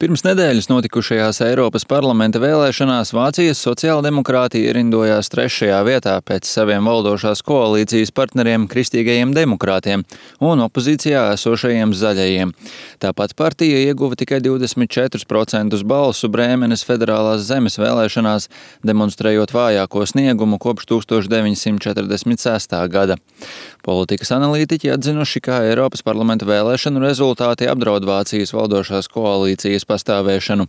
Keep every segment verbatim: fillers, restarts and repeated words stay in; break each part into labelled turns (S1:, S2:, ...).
S1: Pirms nedēļas notikušajās Eiropas parlamenta vēlēšanās Vācijas sociāldemokrāti ierindojās trešajā vietā pēc saviem valdošās koalīcijas partneriem Kristīgajiem demokrātiem un opozīcijā esošajiem zaļajiem. Tāpat partija ieguva tikai divdesmit četrus procentus balsu Brēmenes federālās zemes vēlēšanās, demonstrējot vājāko sniegumu kopš tūkstoš deviņsimt četrdesmit sestā gada. Politikas analītiķi atzinuši, ka Eiropas parlamenta vēlēšanu rezultāti apdraud Vācijas valdošās koalīcijas pastāvēšanu.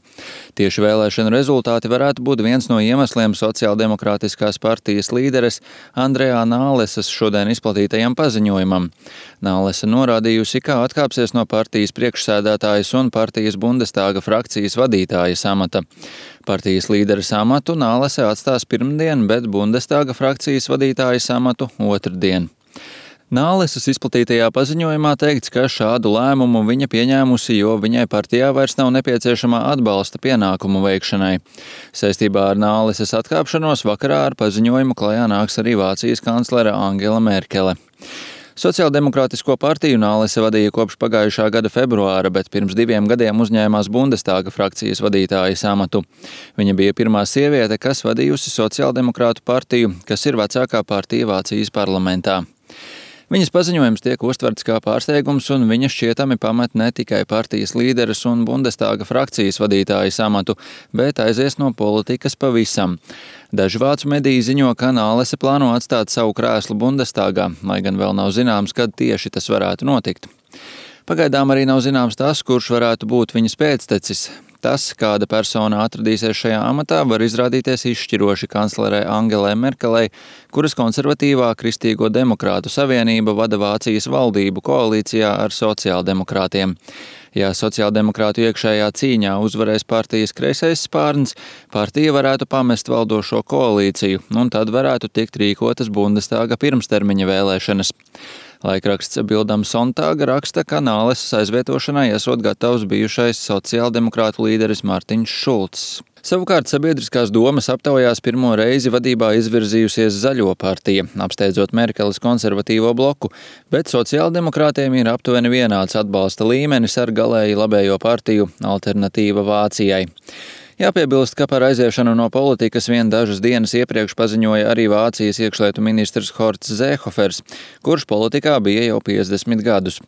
S1: Tieši vēlēšanu rezultāti varētu būt viens no iemesliem sociāldemokrātiskās partijas līderes Andrejā Nālesas šodien izplatītajam paziņojumam. Nālesa norādījusi, ka atkāpsies no partijas priekšsēdētājas un partijas Bundestāga frakcijas vadītājas amata. Partijas līderes amatu Nālese atstās pirmdien, bet Bundestāga frakcijas vadītājas amatu otrdien. Nālesas izplatītajā paziņojumā teikts, ka šādu lēmumu viņa pieņēmusi, jo viņai partijā vairs nav nepieciešamā atbalsta pienākumu veikšanai. Saistībā ar Nāleses atkāpšanos vakarā ar paziņojumu klajā nāks arī Vācijas kanclere Angela Merkele. Sociāldemokrātisko partiju Nālese vadīja kopš pagājušā gada februāra, bet pirms diviem gadiem uzņēmās Bundestāga frakcijas vadītājas amatu. Viņa bija pirmā sieviete, kas vadījusi Sociāldemokrātu partiju, kas ir vecākā partija Vācijas parlamentā. Viņas paziņojums tiek uztverts kā pārsteigums, un viņa šķietami pamet ne tikai partijas līderes un Bundestāga frakcijas vadītājas amatu, bet aizies no politikas pavisam. Daži vācu mediji ziņo, ka Nālese plāno atstāt savu krēslu Bundestāgā, lai gan vēl nav zināms, kad tieši tas varētu notikt. Pagaidām arī nav zināms tas, kurš varētu būt viņas pēctecis. Tas, kāda persona atradīsies šajā amatā, var izrādīties izšķiroši kanclerei Angelai Merkelei, kuras konservatīvā Kristīgo demokrātu savienība vada Vācijas valdību koalīcijā ar sociāldemokrātiem. Ja sociāldemokrātu iekšējā cīņā uzvarēs partijas kreisais spārns, partija varētu pamest valdošo koalīciju, un tad varētu tikt rīkotas Bundestāga pirmstermiņa vēlēšanas. Laikraksts Bildam Sontāga raksta, ka Nālesas aizvietošanai esot gatavs bijušais sociāldemokrātu līderis Mārtiņš Šulcs. Savukārt sabiedriskās domas aptaujās pirmo reizi vadībā izvirzījusies Zaļo partija, apsteidzot Merkeles konservatīvo bloku, bet sociāldemokrātiem ir aptuveni vienāds atbalsta līmenis ar galēji labējo partiju Alternatīva Vācijai. Jāpiebilst, ka par aiziešanu no politikas vien dažas dienas iepriekš paziņoja arī Vācijas iekšlietu ministrs Horsts Zēhofers, kurš politikā bija jau piecdesmit gadus.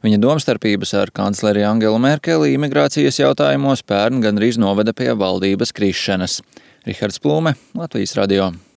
S1: Viņa domstarpības ar kancleri Angelu Merkeli imigrācijas jautājumos pērn gandrīz noveda pie valdības krišanas. Rihards Plūme, Latvijas radio.